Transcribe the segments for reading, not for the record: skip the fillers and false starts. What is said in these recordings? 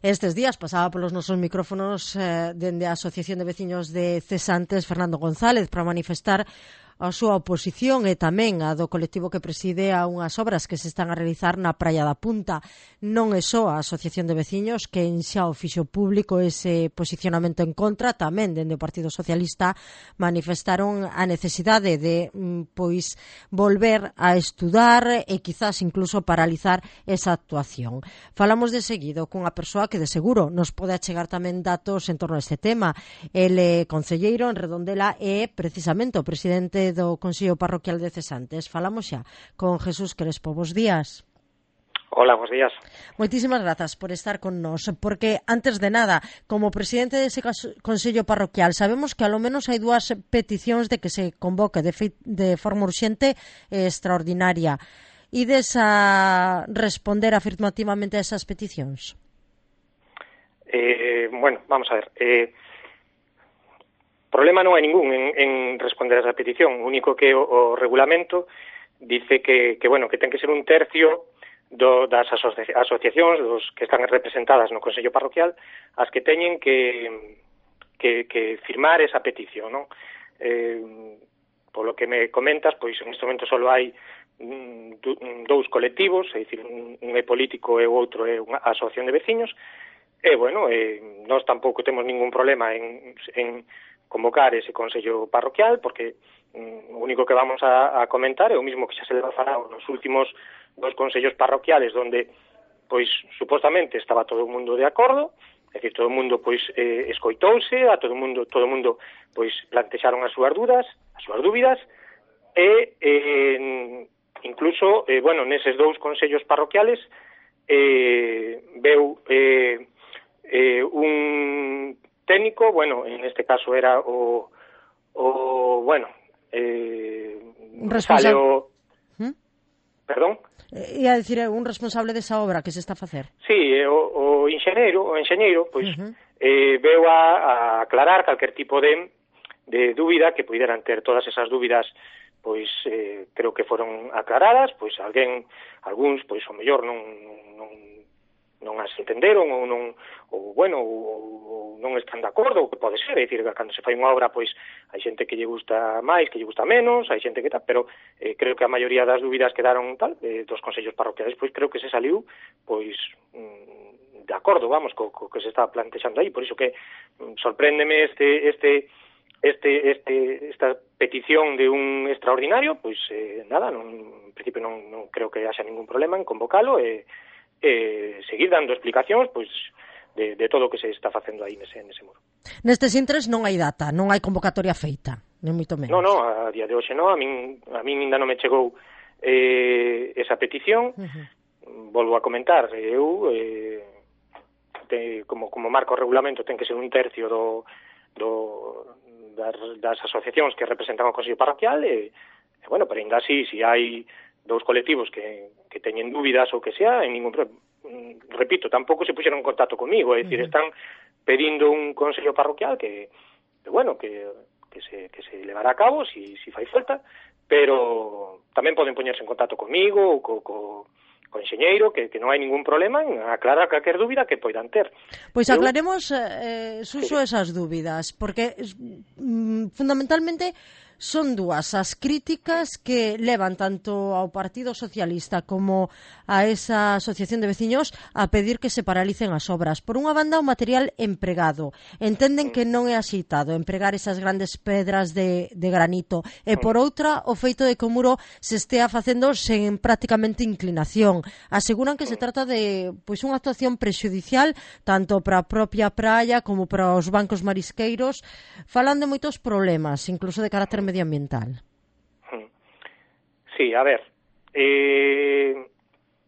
Estes días pasaba polos nosos micrófonos dende a Asociación de Veciños de Cesantes, Fernando González, para manifestar a súa oposición e tamén a do colectivo que preside a unhas obras que se están a realizar na Praia da Punta. Non é só a Asociación de Veciños que xa o fixo público ese posicionamento en contra, tamén dende o Partido Socialista manifestaron a necesidade de pois volver a estudar e quizás incluso paralizar esa actuación. Falamos de seguido cunha persoa que de seguro nos pode achegar tamén datos en torno a este tema. El é concelleiro en Redondela e precisamente o presidente do Consello Parroquial de Cesantes. Falamos xa con Jesús Crespo. Bos días. Hola, bos días. Moitísimas grazas por estar con nós, porque antes de nada, como presidente dese Consello Parroquial, sabemos que ao menos hai dúas peticións de que se convoque de forma urxente e extraordinaria. Ides a responder afirmativamente a esas peticións? Bueno, vamos a ver. Problema non hai ningún en responder a esa petición. O único que o regulamento dice que ten que ser un tercio das asociacións dos que están representadas no Consello Parroquial as que teñen que firmar esa petición, non? Polo que me comentas, pois en este momento só hai dous colectivos, é dicir, un é político e o outro é unha asociación de veciños, e, nós tampouco temos ningún problema en convocar ese Consello Parroquial, porque o único que vamos a comentar é o mismo que xa se leva falado nos últimos dos consellos parroquiales, donde, pois, supostamente estaba todo o mundo de acordo, é dicir, todo o mundo, pois, escoitouse, a todo o mundo, pois, plantexaron as súas dúbidas, e, incluso, neses dous consellos parroquiales, veu un técnico, en este caso era responsable. Perdón? Ia dicir, un responsable desa obra que se está a facer. Sí, o enxeñeiro, pois, veu a aclarar calquer tipo de dúbida que puderan ter. Todas esas dúbidas, pois, creo que foron aclaradas, pois, algúns, pois, o mellor non as entenderon ou non están de acordo, o que pode ser, é dicir, cando se fai unha obra, pois, hai xente que lle gusta máis, que lle gusta menos, hai xente que tal, pero creo que a maioría das dúbidas quedaron tal, dos consellos parroquiales, pois creo que se saliu, pois, de acordo, vamos, co que se está plantexando aí, por iso que sorpréndeme esta petición de un extraordinario, pois, nada, en principio non creo que haxa ningún problema en convocalo e seguir dando explicacións, pois, de todo o que se está facendo aí nese muro. Nestes intres non hai data, non hai convocatoria feita, nem moito menos. Non, a día de hoxe non, a min ainda non me chegou esa petición. Volvo a comentar, eu como marco o regulamento ten que ser un tercio das asociacións que representan o Consello Parroquial e pero ainda así, se hai dous colectivos que teñen dúbidas ou que sea, en ningún problema. Repito, tampouco se puxeron en contacto comigo, é dicir, están pedindo un consello parroquial que se levará a cabo si fai falta, pero tamén poden poñerse en contacto comigo ou co enxeñeiro, que non hai ningún problema en aclarar calquer dúbida que poidan ter. Pois aclaremos, Suso, esas dúbidas, porque fundamentalmente son dúas as críticas que levan tanto ao Partido Socialista como a esa asociación de veciños a pedir que se paralicen as obras. Por unha banda, o material empregado. Entenden que non é axeitado empregar esas grandes pedras de granito. E por outra, o feito de que o muro se estea facendo sen prácticamente inclinación. Aseguran que se trata de unha actuación prexudicial tanto para a propia praia como para os bancos marisqueiros. Falan de moitos problemas, incluso de carácter medioambiental. Sí, a ver,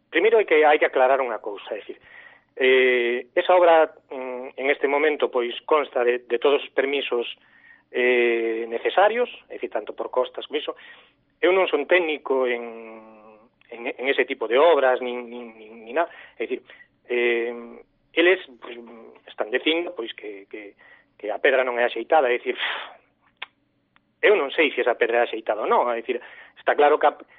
primeiro hai que aclarar unha cousa, é dicir, esa obra en este momento pois consta de todos os permisos necesarios, é dicir, tanto por costas como iso. Eu non son técnico en ese tipo de obras nin nada, é dicir, eles pois, están dicindo pois que a pedra non é axeitada, é dicir, eu non sei se esa pedra é axeitada ou non, é dicir, está claro que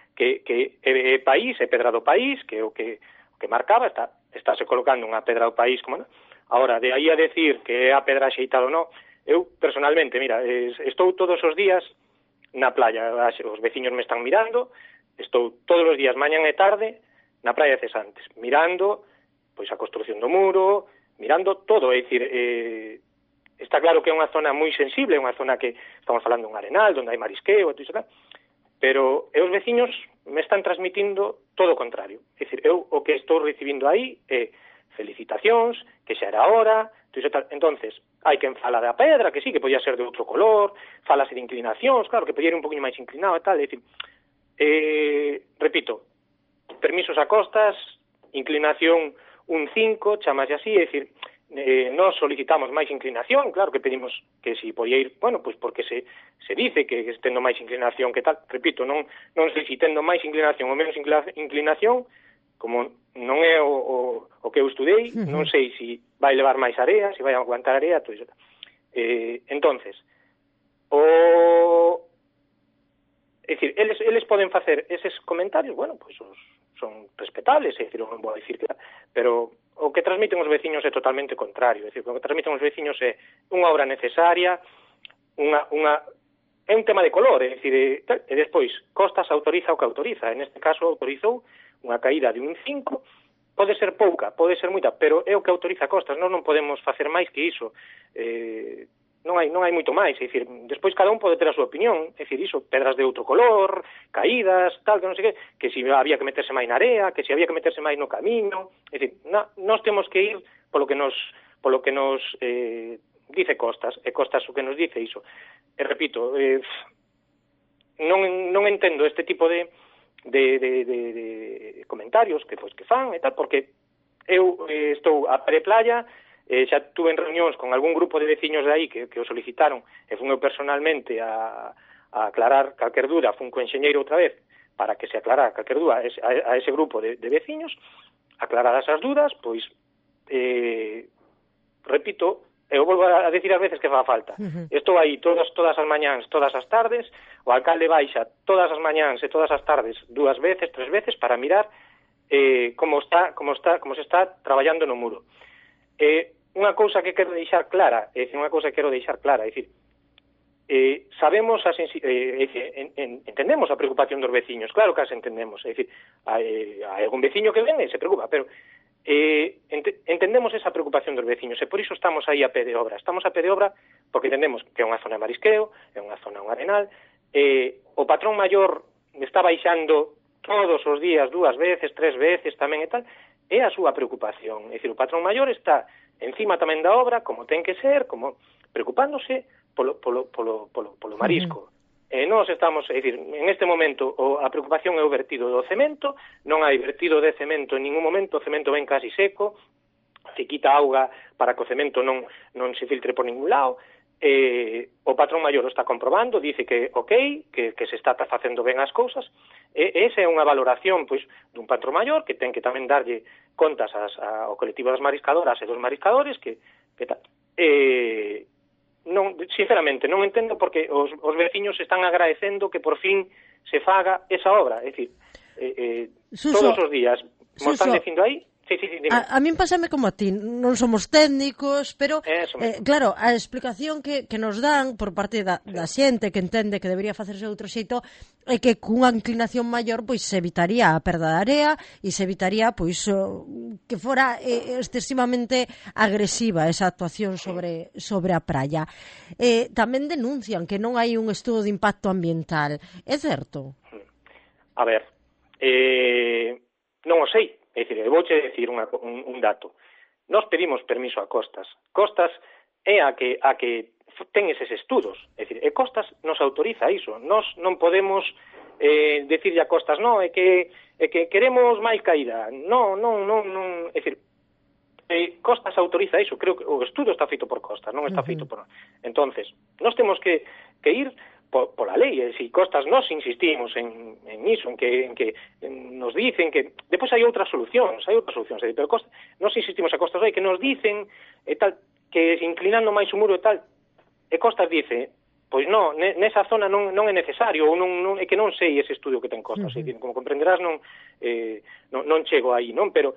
é país, é pedra do país, que é o que que marcaba, estáse colocando unha pedra ao país como non. Ahora, de aí a decir que é a pedra xeitada ou non, eu personalmente, mira, estou todos os días na playa, os veciños me están mirando, estou todos os días, mañan e tarde, na praia de Cesantes, mirando pois a construción do muro, mirando todo, é dicir, está claro que é unha zona moi sensible, é unha zona que estamos falando un arenal, onde hai marisqueo, e todo, pero os veciños me están transmitindo todo o contrario. É dicir, eu o que estou recibindo aí é felicitacións, que xa era hora, entonces hai quen fala da pedra, que sí, que podía ser de outro color, falase de inclinacións, claro, que podía ir un poquinho máis inclinado e tal, é dicir, repito, permisos a costas, inclinación un 5, chamase así, é dicir, nós solicitamos máis inclinación, claro que pedimos que si podía ir, bueno, pois porque se dice que estendo máis inclinación que tal, repito, non sei se tendo máis inclinación ou menos inclinación, como non é o que eu estudei, non sei se vai levar máis area, se vai aguantar area, todo iso. Entonces, é dicir, eles poden facer eses comentarios, bueno, pois son respetables, é dicir, non vou dicir que, pero o que transmiten os veciños é totalmente contrario, é dicir, o que transmiten os veciños é unha obra necesaria, é un tema de color, é dicir, e despois, Costas autoriza o que autoriza, en este caso autorizou unha caída de un 5, pode ser pouca, pode ser moita, pero é o que autoriza Costas, non podemos facer máis que iso, non hai moito máis, é dicir, despois cada un pode ter a súa opinión, é dicir, iso, pedras de outro color, caídas, tal, que non sei que si había que meterse máis na area, que si había que meterse máis no camiño, é dicir, nós temos que ir polo que nos dice Costas, e Costas o que nos dice iso. E repito, non entendo este tipo de comentarios que fan e tal, porque eu estou a pé de playa, xa tuve en reunións con algún grupo de veciños de aí que o solicitaron, e fun eu personalmente a aclarar calquer dúda, fun co enxeñeiro outra vez, para que se aclarara calquer dúda a ese grupo de veciños, aclaradas as dúdas, pois, repito, eu volvo a decir ás veces que fa falta. Estou aí todas as mañáns, todas as tardes, o alcalde baixa todas as mañáns e todas as tardes 2 veces, 3 veces para mirar como se está traballando no muro. Unha cousa que quero deixar clara, é dicir, sabemos entendemos a preocupación dos veciños, claro que as entendemos, é dicir, hai algún veciño que ven e se preocupa, pero entendemos esa preocupación dos veciños e por iso estamos aí a pé de obra. Estamos a pé de obra porque entendemos que é unha zona de marisqueo, é unha zona, un arenal, o patrón maior está baixando todos os días 2 veces, 3 veces tamén e tal, é a súa preocupación. É dicir, o patrón maior está encima tamén da obra, como ten que ser, como preocupándose polo marisco. Nós estamos, é dicir, en este momento a preocupación é o vertido do cemento, non hai vertido de cemento en ningún momento, o cemento ven casi seco, se quita auga para que o cemento non se filtre por ningún lado, o patrón maior o está comprobando, dice que ok, que se está facendo ben as cousas, esa é unha valoración pois dun patrón maior que ten que tamén darlle contas ao colectivo das mariscadoras e dos mariscadores que tal. Non, sinceramente, non entendo porque os veciños están agradecendo que por fin se faga esa obra, é dicir, todos os días mo están dicindo aí. Sí, dime. A min pásame como a ti, non somos técnicos, pero claro, a explicación que nos dan por parte da xente que entende que debería facerse de outro xeito é que cunha inclinación maior pois se evitaría a perda de area e se evitaría pois que fora excesivamente agresiva esa actuación sobre a praia. Tamén denuncian que non hai un estudo de impacto ambiental. É certo? A ver, non o sei. É dicir, eu vouche decir un dato. Nós pedimos permiso a Costas. Costas é a que ten eses estudos. É dicir, e Costas nos autoriza iso. Nós non podemos decirlle a Costas, non, é que queremos máis caída. Non. É dicir, Costas autoriza iso. Creo que o estudo está feito por Costas, non está feito por... Entonces, nós temos que ir pola lei, e se Costas nós insistimos en iso, en que nos dicen que depois hai outras solucións, pero Costas, nós insistimos a Costas, que nos dicen e tal, que inclinando máis o muro e tal, e Costas dice, pois non, nesa zona non é necesario, ou non, é que non sei ese estudio que ten Costa, como comprenderás non chego aí, non? Pero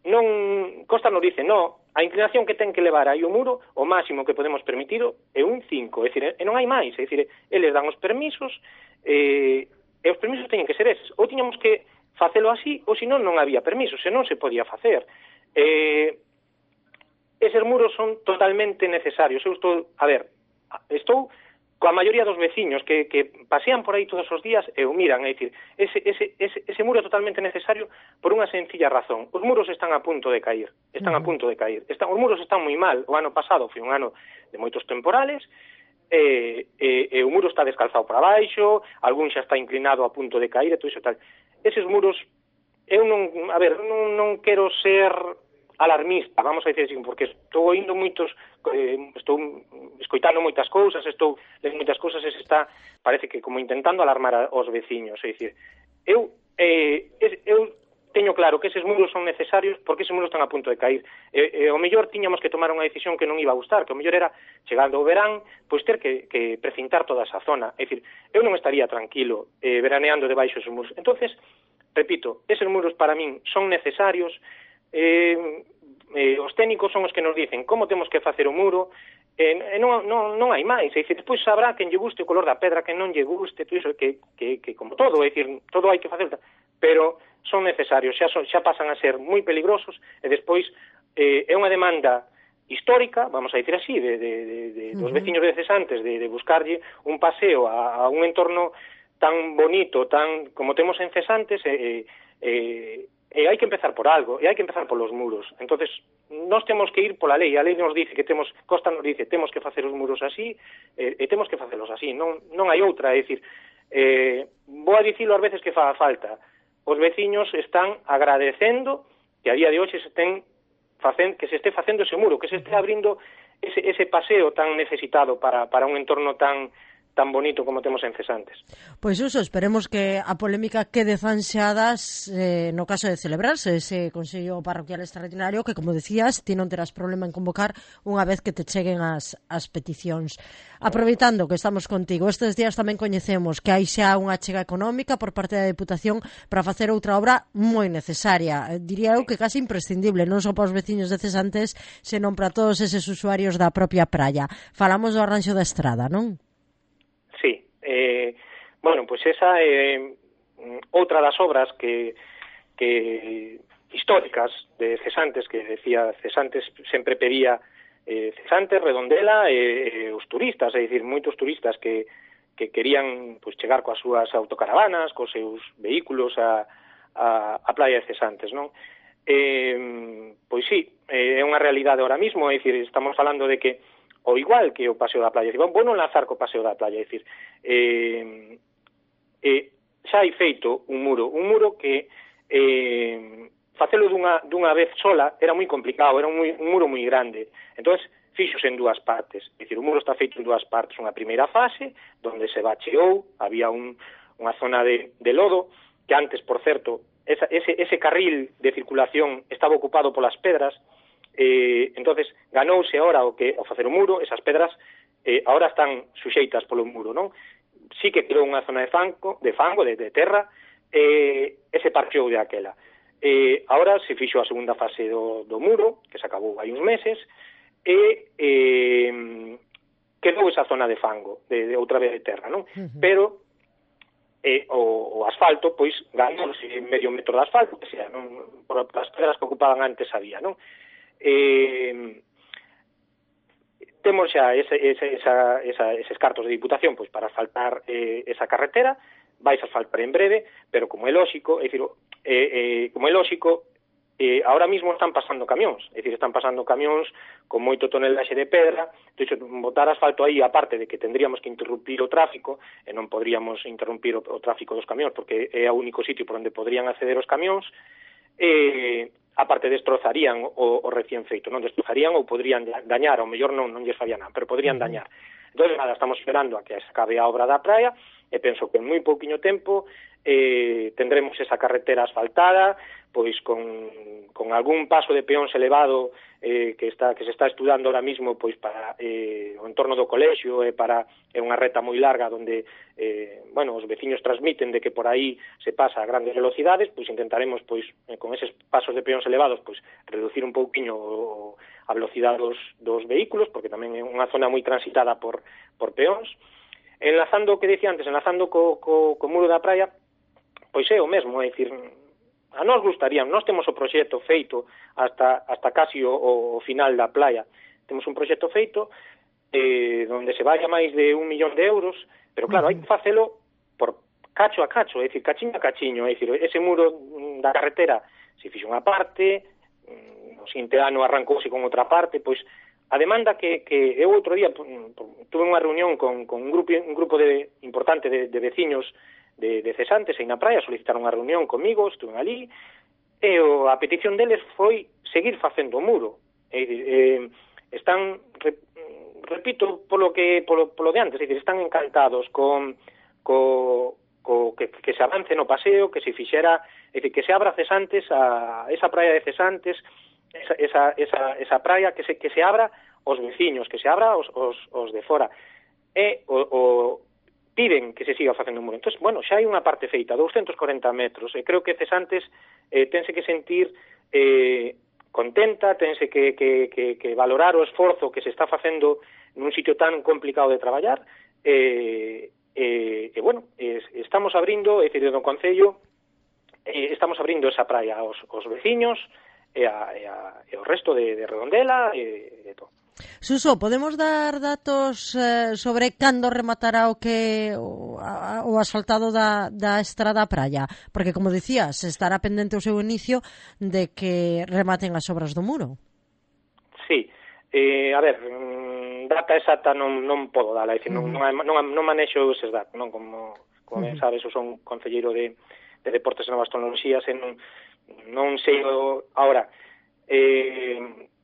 non, Costa nos dice, non, a inclinación que ten que levar aí o muro, o máximo que podemos permitido é un 5, é dicir, e non hai máis, é dicir, eles dan os permisos, e os permisos teñen que ser eses, ou tiñamos que facelo así, ou senón non había permisos, senón se podía facer. Eses muros son totalmente necesarios. Eu estou coa maioría dos veciños que pasean por aí todos os días e o miran, é dicir, ese muro é totalmente necesario por unha sencilla razón. Os muros están a punto de caer, os muros están moi mal. O ano pasado foi un ano de moitos temporales, e o muro está descalzado para baixo, algún xa está inclinado a punto de caer, e todo iso tal. Eses muros, eu non quero ser alarmista, vamos a dicir así, porque estou oindo estou escoitando moitas cousas, estou lendo moitas cousas, e se está, parece que como intentando alarmar aos veciños, é dicir, eu teño claro que eses muros son necesarios porque eses muros están a punto de cair, e o mellor tiñamos que tomar unha decisión que non iba a gustar, que o mellor era, chegando o verán, pois ter que precintar toda esa zona, é dicir, eu non estaría tranquilo veraneando debaixo esos muros. Entonces, repito, eses muros para min son necesarios, os técnicos son os que nos dicen como temos que facer o muro, non hai máis, é dicir, despois sabrá quen lle guste o color da pedra, quen non lle guste, todo iso que como todo, é dicir, todo hai que facer, pero son necesarios, xa pasan a ser moi peligrosos, e despois é unha demanda histórica, vamos a dicir así, dos veciños de Cesantes, de buscarlle un paseo a un entorno tan bonito, tan como temos en Cesantes, e hai que empezar por algo, e hai que empezar polos muros. Entonces, nós temos que ir pola lei, a lei nos dice que Costa nos dice, temos que facer os muros así, e temos que facelos así, non hai outra, é dicir, vou a dicilo ás veces que faga falta, os veciños están agradecendo que a día de hoxe que se este facendo ese muro, que se este abrindo ese paseo tan necesitado para un entorno tan bonito como temos en Cesantes. Pois esperemos que a polémica quede zanxadas no caso de celebrarse ese Consello Parroquial Extraordinario que, como decías, ti non terás problema en convocar unha vez que te cheguen as peticións. Aproveitando que estamos contigo, estes días tamén coñecemos que hai xa unha achega económica por parte da Deputación para facer outra obra moi necesaria, diría eu que casi imprescindible, non só para os veciños de Cesantes, senón para todos eses usuarios da propia praia. Falamos do arranxo da estrada, non? Sí, pois esa é outra das obras que históricas de Cesantes, que decía Cesantes sempre pedía Cesantes, Redondela e os turistas, é dicir, moitos turistas que querían pois chegar coas súas autocaravanas, cos seus vehículos a praia de Cesantes, non? Pois sí, é unha realidade ahora mismo, é dicir, estamos falando de que o igual que o Paseo da Playa, vou non lanzar co Paseo da Playa, é dicir, xa hai feito un muro que facelo dunha vez sola era moi complicado, era un muro moi grande, entonces fixose en dúas partes, é dicir, o muro está feito en dúas partes, unha primeira fase, onde se bacheou, había unha zona de lodo, que antes, por certo, ese carril de circulación estaba ocupado polas pedras, entonces ganouse ahora o facer o muro, esas pedras ahora están suxeitas polo muro, non? Sí que quedou unha zona de fango, de terra, se parcheou de aquela. Ahora se fixo a segunda fase do muro, que se acabou hai uns meses, quedou esa zona de fango, de outra vez de terra, non? Pero o asfalto, pois, ganouse medio metro de asfalto, que sea, non? Por as pedras que ocupaban antes había, non? Temos xa eses cartos de Diputación pois para asfaltar esa carretera, vais a asfaltar en breve, pero como é lóxico, ahora mismo están pasando camións, é dicir, están pasando camións con moito tonelaxe de pedra, entón, botar asfalto aí, aparte de que tendríamos que interrumpir o tráfico, e non podríamos interrumpir o tráfico dos camións, porque é o único sitio por onde podrían acceder os camións, aparte destrozarían o recién feito, non destrozarían ou podrían dañar, ao mellor non lles faría nada, pero podrían dañar. Entón, nada, estamos esperando a que se acabe a obra da praia, e penso que en moi pouquiño tempo tendremos esa carretera asfaltada, pois con algún paso de peóns elevado que se está estudando ahora mismo pois para o entorno do colexio e para unha reta moi larga onde os veciños transmiten de que por aí se pasa a grandes velocidades, pois intentaremos pois con eses pasos de peóns elevados pois reducir un pouquiño a velocidade dos vehículos, porque tamén é unha zona moi transitada por peóns. Enlazando o que dicía antes, enlazando co muro da praia, pois é o mesmo, é dicir, a nós gustaría, nós temos o proxecto feito hasta casi o final da playa. Temos un proxecto feito onde se vaya máis de 1 millón de euros, pero claro, hai que facelo por cacho a cacho, é dicir, cachiño a cachiño, é dicir, ese muro da carretera se fixo unha parte, o seguinte ano arrancouse con outra parte, pois a demanda que eu outro día tuve unha reunión con un grupo importante de veciños de cesantes aí na praia, solicitaron unha reunión comigo, estuve ali, e a petición deles foi seguir facendo o muro. Están, repito, polo de antes, é dicir, están encantados con que se avance no paseo, que se fixera, é dicir, que se abra Cesantes, esa praia de Cesantes, esa praia que se abra aos veciños, que se abra aos de fora. E piden que se siga facendo o muro. Entón, bueno, xa hai unha parte feita, 240 metros, e creo que Cesantes tense que sentir contenta, tense que valorar o esforzo que se está facendo nun sitio tan complicado de traballar, estamos abrindo, é dicir, no Concello, estamos abrindo esa praia aos veciños e ao resto de Redondela e de todo. Suso, podemos dar datos sobre cando rematará o asfaltado da estrada praia? Porque, como dicías, estará pendente o seu inicio de que rematen as obras do muro. Sí, a ver, data exacta non podo dala, é dicir, non manexo eses datos, non como ben sabes, eu son concelleiro de Deportes e Novas Tecnoloxías e non sei agora.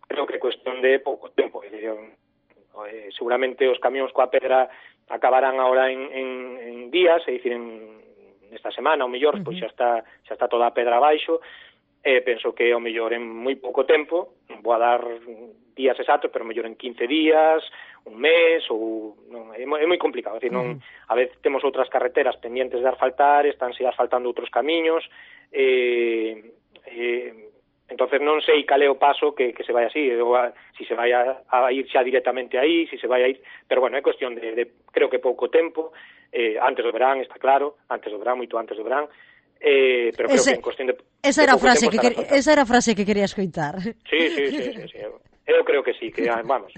Creo que é cuestión de pouco tempo, seguramente os camións coa pedra acabarán agora en días, é dicir, esta semana, ao mellor, pois xa está toda a pedra abaixo, penso que ao mellor en moi pouco tempo, non vou a dar días exactos, pero ao mellor en 15 días, un mes, ou non, é moi complicado, é dicir, non, a veces temos outras carreteras pendientes de asfaltar, estánse asfaltando outros camiños, entonces non sei cal é o paso que se vai así, si se vai a ir xa directamente aí, si se vai a ir, pero bueno, é cuestión de creo que pouco tempo, antes do verán, está claro, antes do verán, moito antes do verán, pero creo que en cuestión de esa era a frase que quería escoitar. Sí, eu creo que sí, que vamos,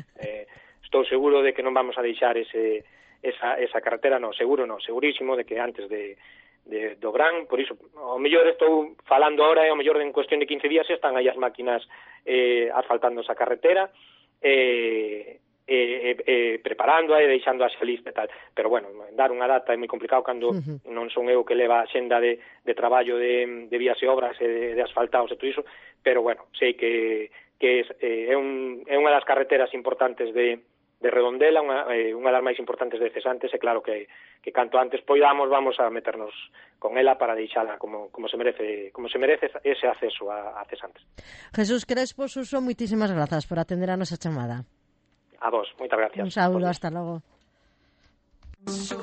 estou seguro de que non vamos a deixar esa carretera, segurísimo de que antes do verán, por iso, ao mellor estou falando ahora e ao mellor en cuestión de 15 días están aí as máquinas asfaltando esa carretera, preparándoa e deixándoa xa lista e tal, pero bueno, dar unha data é moi complicado cando non son eu que leva a xenda de traballo de vías e obras e de asfaltados e todo iso, pero bueno, sei que é unha das carreteras importantes de Redondela, unha das máis importantes de Cesantes, e claro que canto antes poidamos vamos a meternos con ela para deixala como se merece ese acceso a Cesantes. Jesús Crespo Suso, moitísimas grazas por atender a nosa chamada. A vos, moitas gracias. Un saúdo, hasta logo.